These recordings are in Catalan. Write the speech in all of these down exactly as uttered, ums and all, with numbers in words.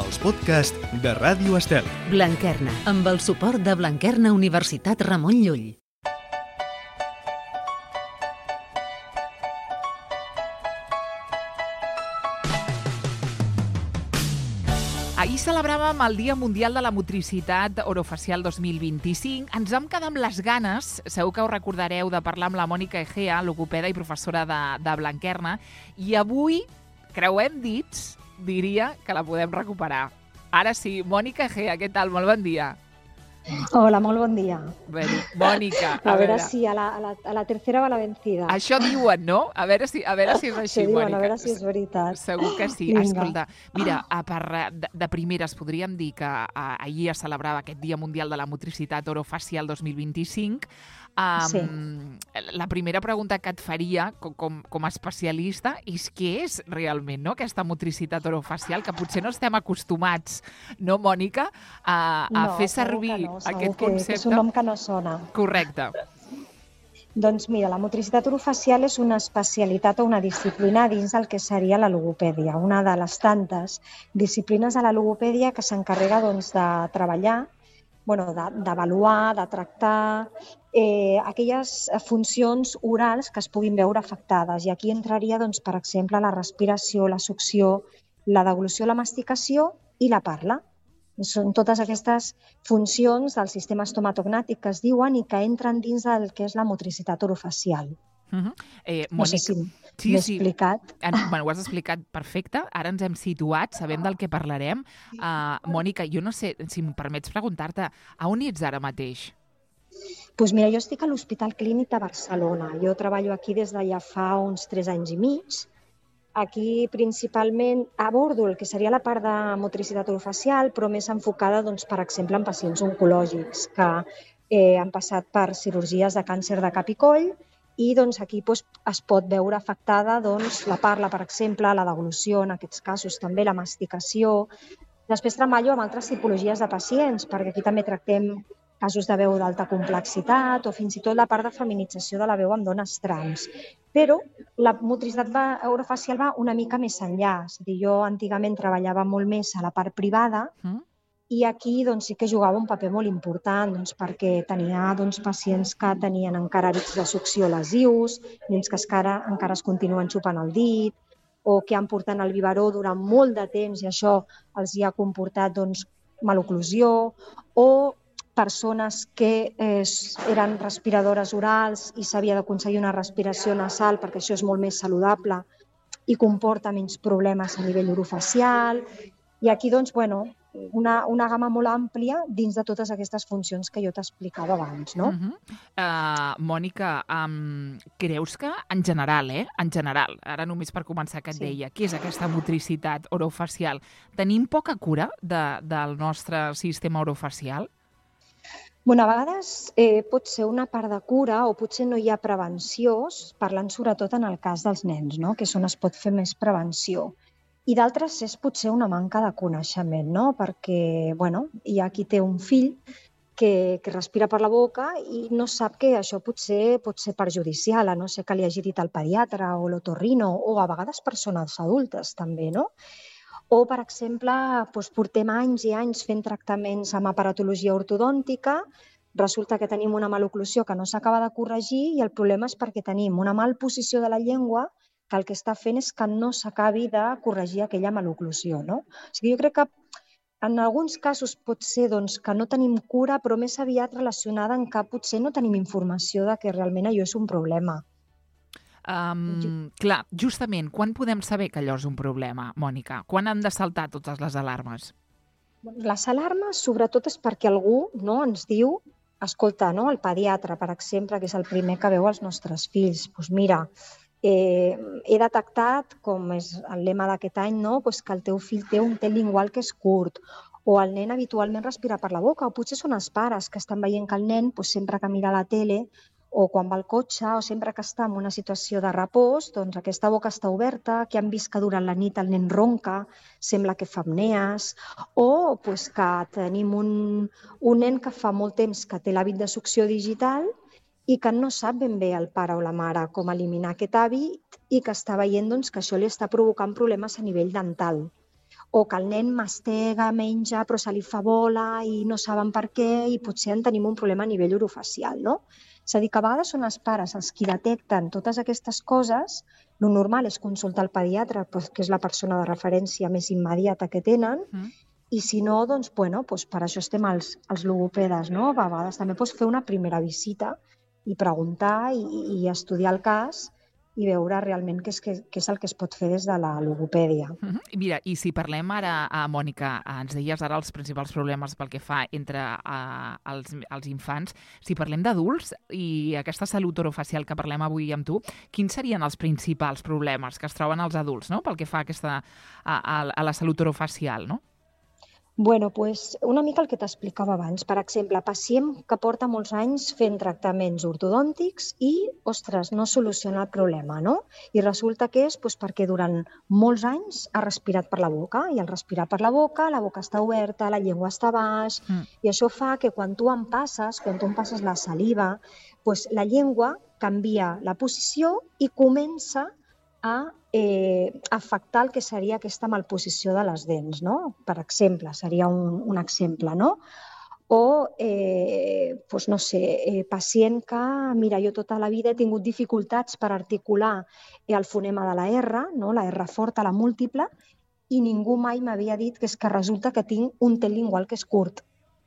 els podcasts de Ràdio Estel. Blanquerna, amb el suport de Blanquerna Universitat Ramon Llull. Ahir celebràvem el Dia Mundial de la Motricitat Orofacial dos mil vint-i-cinc. Ens vam quedar amb les ganes, segur que us recordareu, de parlar amb la Mònica Egea, logopeda i professora de, de Blanquerna, i avui, creuem dits, diria que la podem recuperar. Ara sí, Mònica Egea, què tal? Molt bon dia. Hola, molt bon dia. Bé, Mònica, a, a veure, veure si a la, a, la, a la tercera va la vencida. Això diuen, no? A veure si, a veure si és així, diuen, Mònica. A veure si és veritat. Segur que sí. Vinga. Escolta, mira, a part de, de primeres podríem dir que a, ahir es celebrava aquest Dia Mundial de la Motricitat Orofacial dos mil vint-i-cinc. Um, sí. La primera pregunta que et faria com, com, com a especialista és què és realment, no?, aquesta motricitat orofacial, que potser no estem acostumats, no, Mònica, a, a no, fer servir no, aquest que, concepte. Que és un nom que no sona. Correcte. Doncs mira, la motricitat orofacial és una especialitat o una disciplina dins del que seria la logopèdia, una de les tantes disciplines de la logopèdia que s'encarrega doncs, de treballar, bueno, d'avaluar, de, de tractar eh, aquelles funcions orals que es puguin veure afectades. I aquí entraria, doncs, per exemple, la respiració, la succió, la deglució, la masticació i la parla. Són totes aquestes funcions del sistema estomatognàtic que es diuen i que entren dins del que és la motricitat orofacial. Uh-huh. eh, Mònica, no sé si sí, m'he sí. explicat. En, bueno, ho has explicat perfecte, ara ens hem situat, sabem del que parlarem. Uh, Mònica, jo no sé, si em permets preguntar-te, a on ets ara mateix? Doncs mira, jo estic a l'Hospital Clínic de Barcelona. Jo treballo aquí des de ja fa uns tres anys i mig. Aquí principalment abordo el que seria la part de motricitat orofacial, però més enfocada, doncs, per exemple, en pacients oncològics que eh, han passat per cirurgies de càncer de cap i coll i doncs, aquí doncs, es pot veure afectada doncs, la parla, per exemple, la deglució, en aquests casos també la masticació. Després treballo amb altres tipologies de pacients, perquè aquí també tractem casos de veu d'alta complexitat o fins i tot la part de feminització de la veu amb dones trans. Però la motricitat orofacial va una mica més enllà. És a dir, jo antigament treballava molt més a la part privada mm. i aquí doncs, sí que jugava un paper molt important doncs, perquè tenia doncs, pacients que tenien encara hàbits de succió lesius, nens que encara, encara es continuen xupant el dit o que han portat el biberó durant molt de temps i això els hi ha comportat doncs, maloclusió o persones que eh, eren respiradores orals i s'havia d'aconseguir una respiració nasal perquè això és molt més saludable i comporta menys problemes a nivell orofacial. I aquí, doncs, bueno, una, una gamma molt àmplia dins de totes aquestes funcions que jo t'explicava abans, no? Uh-huh. uh, Mònica, um, creus que en general, eh, en general, ara només per començar que et sí. deia, què és aquesta motricitat orofacial? Tenim poca cura de, del nostre sistema orofacial? Bueno, a vegades eh, pot ser una part de cura o potser no hi ha prevenció, parlant sobretot en el cas dels nens, no? Que és on es pot fer més prevenció. I d'altres és potser una manca de coneixement, no? Perquè bueno, hi ha qui té un fill que, que respira per la boca i no sap que això potser pot ser perjudicial, a no ser que li hagi dit el pediatre o l'otorrino o a vegades persones adultes també, no? O, per exemple, doncs, portem anys i anys fent tractaments amb aparatologia ortodòntica, resulta que tenim una maloclusió que no s'acaba de corregir i el problema és perquè tenim una malposició de la llengua que el que està fent és que no s'acabi de corregir aquella maloclusió, no? O sigui, jo crec que en alguns casos pot ser doncs, que no tenim cura, però més aviat relacionada en que potser no tenim informació de que realment allò és un problema. Um, clar, justament, quan podem saber que allò és un problema, Mònica? Quan han de saltar totes les alarmes? Les alarmes, sobretot, és perquè algú no, ens diu, escolta, no, el pediatre, per exemple, que és el primer que veu els nostres fills, doncs mira, eh, he detectat, com és el lema d'aquest any, no, doncs que el teu fill té un tel lingual que és curt, o el nen habitualment respira per la boca, o potser són els pares que estan veient que el nen, doncs, sempre que mira la tele, o quan va al cotxe, o sempre que està en una situació de repòs, doncs aquesta boca està oberta, que han vist que durant la nit el nen ronca, sembla que fa apnees, o doncs, que tenim un, un nen que fa molt temps que té l'hàbit de succió digital i que no sap ben bé el pare o la mare com eliminar aquest hàbit i que està veient doncs, que això li està provocant problemes a nivell dental. o que el nen mastega, menja, però se li fa bola i no saben per què i potser en tenim un problema a nivell orofacial, no? És a dir, que a vegades són els pares els qui detecten totes aquestes coses. Lo normal és consultar el pediatre, que és la persona de referència més immediata que tenen, mm. i si no, doncs, bueno, doncs per això estem els, els logopedes, no? A vegades també pots fer una primera visita i preguntar i, i estudiar el cas i veure realment què és, què, què és el que es pot fer des de la logopèdia. Uh-huh. Mira, i si parlem ara, a Mònica, ens deies ara els principals problemes pel que fa entre uh, els, els infants, si parlem d'adults i aquesta salut orofacial que parlem avui amb tu, quins serien els principals problemes que es troben els adults, no?, pel que fa a, aquesta, a, a, a la salut orofacial, no? Bueno, pues una mica el que t'explicava abans. Per exemple, pacient que porta molts anys fent tractaments ortodòntics i, ostres, no soluciona el problema, no? I resulta que és pues, perquè durant molts anys ha respirat per la boca i al respirar per la boca, la boca està oberta, la llengua està a baix mm. i això fa que quan tu en passes, quan tu en passes la saliva, pues, la llengua canvia la posició i comença a eh, afectar el que seria aquesta malposició de les dents, no? Per exemple, seria un, un exemple, no? O, eh, doncs no sé, eh, pacient que, mira, jo tota la vida he tingut dificultats per articular el fonema de la R, no? La R forta, la múltiple, i ningú mai m'havia dit que és que resulta que tinc un tel lingual que és curt.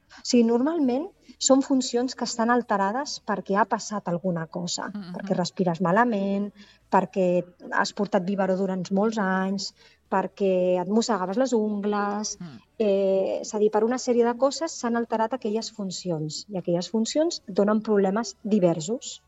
O sigui, normalment són funcions que estan alterades perquè ha passat alguna cosa, mm-hmm. perquè respires malament, perquè has portat biberó durant molts anys, perquè et mossegaves les ungles, mm. eh, és a dir, per una sèrie de coses s'han alterat aquelles funcions i aquelles funcions donen problemes diversos.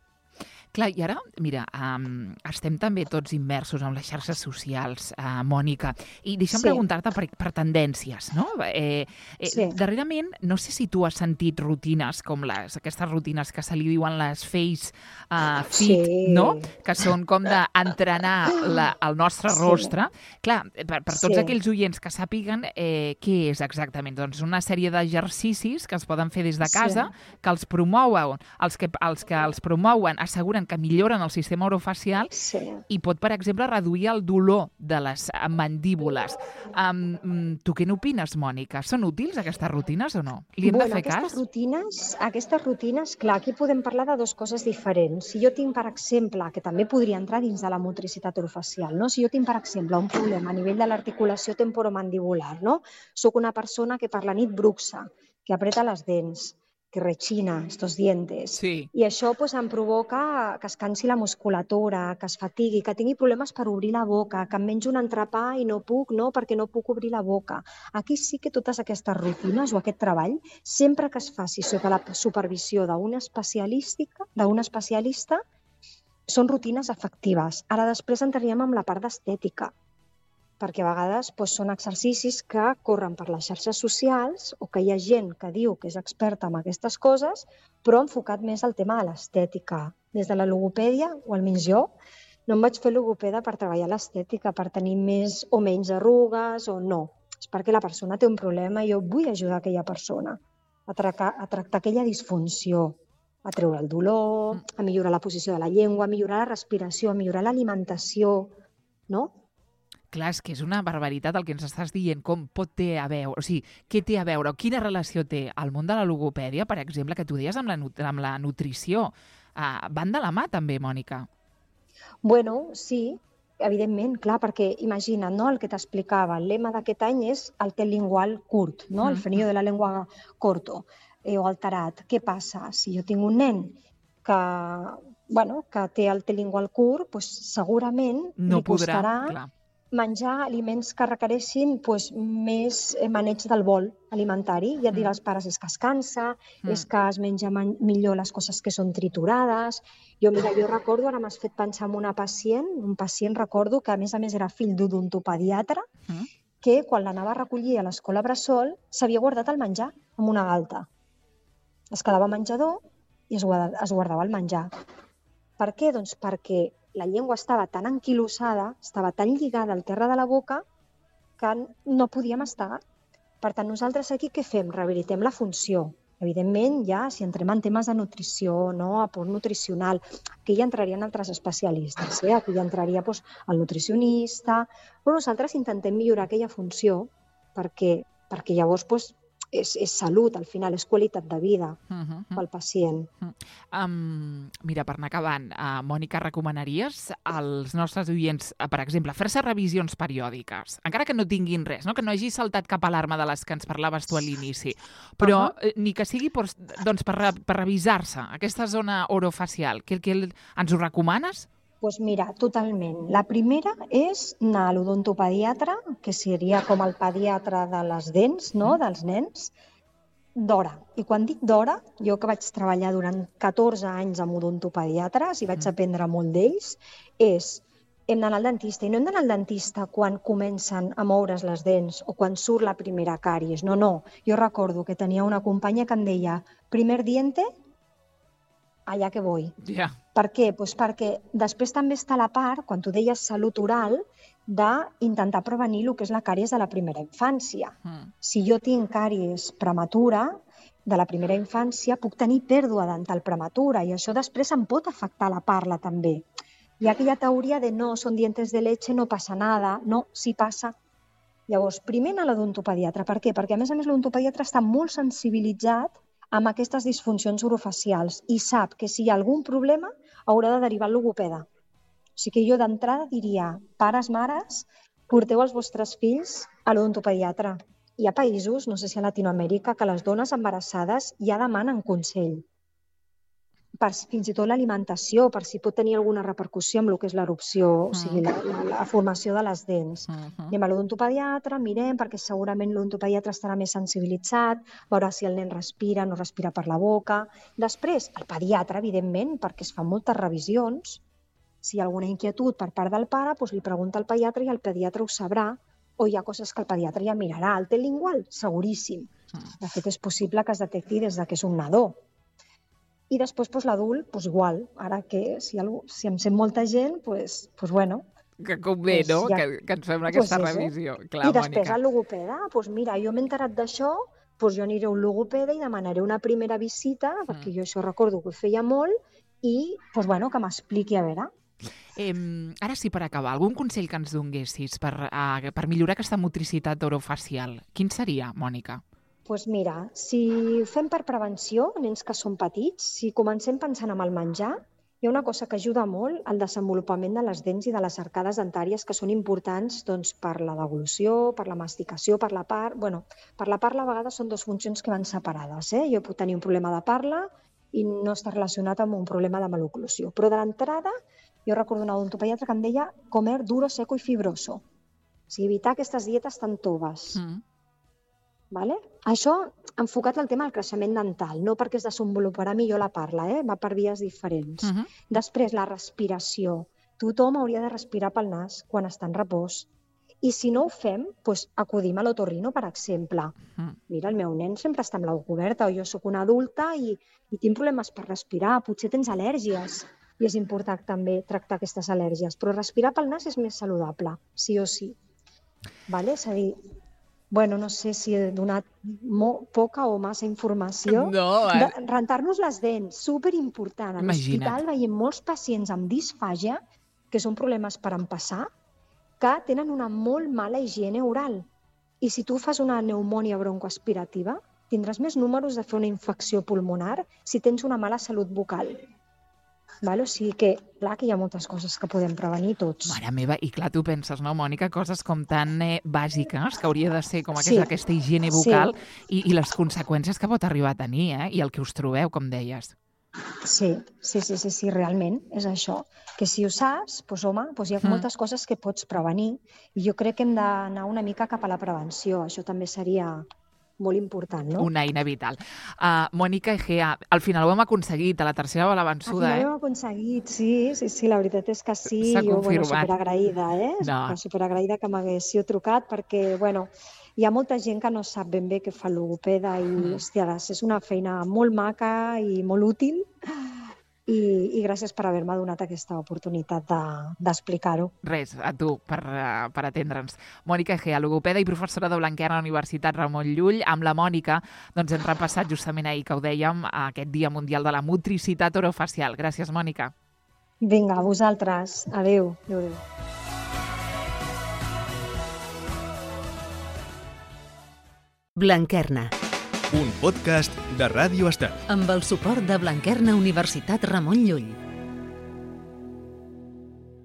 Clar, i ara, mira, um, estem també tots immersos en les xarxes socials, uh, Mònica, i deixa'm sí. preguntar-te per, per tendències, no? Eh, eh, sí. Darrerament, no sé si tu has sentit rutines com les, aquestes rutines que se li diuen les face uh, fit, sí. no? Que són com d'entrenar la, el nostre sí. rostre. Clar, per, per tots sí. aquells oients que sàpiguen eh, què és exactament, doncs una sèrie d'exercicis que es poden fer des de casa, sí. que els promouen, els que els, que els promouen asseguren que milloren el sistema orofacial sí. i pot, per exemple, reduir el dolor de les mandíbules. Um, tu què n'opines, Mònica? Són útils aquestes rutines o no? Li hem bueno, de fer aquestes cas? Rutines, aquestes rutines, clar, aquí podem parlar de dues coses diferents. Si jo tinc, per exemple, que també podria entrar dins de la motricitat orofacial, no? Si jo tinc, per exemple, un problema a nivell de l'articulació temporomandibular, no? Soc una persona que per la nit bruxa, que apreta les dents, que rechina estos dientes. Sí. I això pues, em provoca que es cansi la musculatura, que es fatigui, que tingui problemes per obrir la boca, que em menjo un entrepà i no puc, no, perquè no puc obrir la boca. Aquí sí que totes aquestes rutines o aquest treball, sempre que es faci sota la supervisió d'un especialista, d'un especialista, són rutines efectives. Ara després entraríem amb la part d'estètica, perquè a vegades doncs, són exercicis que corren per les xarxes socials o que hi ha gent que diu que és experta en aquestes coses, però enfocat més al tema de l'estètica. Des de la logopèdia, o almenys jo, no em vaig fer logopeda per treballar l'estètica, per tenir més o menys arrugues o no. És perquè la persona té un problema i jo vull ajudar aquella persona a, tractar, a tractar aquella disfunció, a treure el dolor, a millorar la posició de la llengua, a millorar la respiració, a millorar l'alimentació, no? Clar, és que és una barbaritat el que ens estàs dient, com pot té a veure, o sigui, què té a veure, quina relació té el món de la logopèdia, per exemple, que tu deies amb la, amb la nutrició. Uh, van de la mà també, Mònica? Bueno, sí, evidentment, clar, perquè imagina't, no, el que t'explicava, el lema d'aquest any és el tel lingual curt, no? El frenillo de la lengua corto eh, o alterat. Què passa? Si jo tinc un nen que, bueno, que té el tel lingual curt, doncs segurament no li costarà podrà, clar. menjar aliments que requereixin doncs, més maneig del bol alimentari. I et dirà als pares, és que es cansa, mm. és que es menja millor les coses que són triturades. Jo, mira, jo recordo, ara m'has fet pensar en una pacient, un pacient recordo que a més a més era fill d'odontopediatre, mm. que quan l'anava a recollir a l'escola Bressol s'havia guardat el menjar amb una galta. Es quedava al menjador i es guardava, es guardava el menjar. Per què? Doncs perquè la llengua estava tan anquilosada, estava tan lligada al terra de la boca, que no podia mastegar. Per tant, nosaltres aquí què fem? Rehabilitem la funció. Evidentment, ja si entrem en temes de nutrició, no, aport nutricional, aquí ja entrarien altres especialistes, eh? Aquí ja entraria doncs, el nutricionista, però nosaltres intentem millorar aquella funció perquè, perquè llavors doncs, és, és salut, al final, és qualitat de vida Uh -huh. pel pacient. Um, mira, per anar acabant, uh, Mònica, recomanaries als nostres oients, uh, per exemple, fer-se revisions periòdiques, encara que no tinguin res, no? Que no hagi saltat cap alarma de les que ens parlaves tu a l'inici, però uh -huh. ni que sigui per, doncs, per, per revisar-se aquesta zona orofacial. Que, que ens ho recomanes? Doncs mira, totalment. La primera és anar a l'odontopediatre, que seria com el pediatre de les dents, no?, dels nens, d'hora. I quan dic d'hora, jo que vaig treballar durant catorze anys amb odontopediatres i vaig aprendre molt d'ells, és hem d'anar al dentista. I no hem d'anar al dentista quan comencen a moure's les dents o quan surt la primera càries. No, no. Jo recordo que tenia una companya que em deia primer diente, allà que vull. Ja. Yeah. Per què? Pues perquè després també està la part, quan tu deies salut oral, d'intentar prevenir el que és la càries de la primera infància. Mm. Si jo tinc càries prematura de la primera infància, puc tenir pèrdua dental prematura i això després em pot afectar la parla també. Hi ha aquella teoria de no, són dientes de leche, no passa nada. No, sí passa. Llavors, primer anar a l'odontopediatre. Per què? Perquè a més a més l'odontopediatre està molt sensibilitzat amb aquestes disfuncions orofacials i sap que si hi ha algun problema haurà de derivar al logopeda. O sigui que jo d'entrada diria, pares, mares, porteu els vostres fills a l'odontopediatre. Hi ha països, no sé si a Latinoamèrica, que les dones embarassades ja demanen consell. Per fins i tot l'alimentació, per si pot tenir alguna repercussió amb el que és l'erupció, o sigui, la, la, la formació de les dents. Uh-huh. Anem a l'odontopediatre, mirem, perquè segurament l'odontopediatre estarà més sensibilitzat, veurà si el nen respira, no respira per la boca. Després, el pediatre, evidentment, perquè es fan moltes revisions. Si hi ha alguna inquietud per part del pare, doncs li pregunta al pediatre i el pediatre ho sabrà, o hi ha coses que el pediatre ja mirarà. El té lingual? Seguríssim. De fet, és possible que es detecti des que és un nadó. I després doncs, l'adult, doncs, igual. Ara que si, algú, si em sent molta gent, doncs, doncs bueno... Que convé, doncs, no? Ja... Que, que ens fem aquesta doncs revisió. Clar, I després Mònica. el logopeda, doncs mira, jo m'he enterat d'això, doncs jo aniré a un logopeda i demanaré una primera visita, mm. perquè jo això recordo que ho feia molt, i doncs, bueno, que m'expliqui a veure. Eh, ara sí, per acabar, algun consell que ens donguessis per, uh, per millorar aquesta motricitat orofacial? Quin seria, Mònica? Doncs pues mira, si ho fem per prevenció, nens que són petits, si comencem pensant en el menjar, hi ha una cosa que ajuda molt al desenvolupament de les dents i de les arcades dentàries que són importants doncs, per la deglució, per la masticació, per la part... Bueno, per la parla a vegades són dues funcions que van separades. Eh? Jo puc tenir un problema de parla i no està relacionat amb un problema de maloclusió. Però de l'entrada, jo recordo un odontopediatre que em deia comer duro, seco i fibroso. O sigui, evitar aquestes dietes tan toves. Mm. Vale? Això enfocat al tema del creixement dental, no perquè es desenvoluparà millor la parla, eh? Va per vies diferents. Uh-huh. Després, la respiració. Tothom hauria de respirar pel nas quan està en repòs. I si no ho fem, doncs acudim a l'otorrino, per exemple. Uh-huh. Mira, el meu nen sempre està amb la boca oberta, o jo sóc una adulta i, i tinc problemes per respirar, potser tens al·lèrgies. I és important també tractar aquestes al·lèrgies. Però respirar pel nas és més saludable, sí o sí. Vale? És a dir, bueno, no sé si he donat poca o massa informació. No, eh? Rentar-nos les dents, superimportant. A l'hospital veiem molts pacients amb disfàgia, que són problemes per empassar, que tenen una molt mala higiene oral. I si tu fas una pneumònia broncoaspirativa, tindràs més números de fer una infecció pulmonar si tens una mala salut bucal. Vale? O sigui que, clar, que hi ha moltes coses que podem prevenir tots. Mare meva, i clar, tu penses, no, Mònica, coses com tan eh, bàsiques, que hauria de ser com aquesta, sí. aquesta higiene bucal, sí. i, i les conseqüències que pot arribar a tenir, eh? I el que us trobeu, com deies. Sí, sí, sí, sí, sí, realment és això. Que si ho saps, doncs, home, doncs hi ha mm. moltes coses que pots prevenir, i jo crec que hem d'anar una mica cap a la prevenció. Això també seria molt important, no? Una eina vital. Uh, Mònica Egea, al final ho hem aconseguit, a la tercera va la vençuda, eh? Al final ho hem aconseguit, sí, sí, sí, la veritat és que sí. S'ha jo, confirmat. Bueno, superagraïda, eh? No. Superagraïda que m'haguéssiu trucat, perquè, bueno, hi ha molta gent que no sap ben bé què fa el logopeda i, mm. hòstia, és una feina molt maca i molt útil. I, i gràcies per haver-me donat aquesta oportunitat de, d'explicar-ho. Res, a tu, per, uh, per atendre'ns. Mònica Egea, logopeda i professora de Blanquerna a la Universitat Ramon Llull. Amb la Mònica doncs, hem repassat justament ahir que ho dèiem, aquest Dia Mundial de la Motricitat Orofacial. Gràcies, Mònica. Vinga, a vosaltres. Adéu. Adéu, adéu. Blanquerna, Un podcast de Ràdio Estel. amb el suport de Blanquerna Universitat Ramon Llull.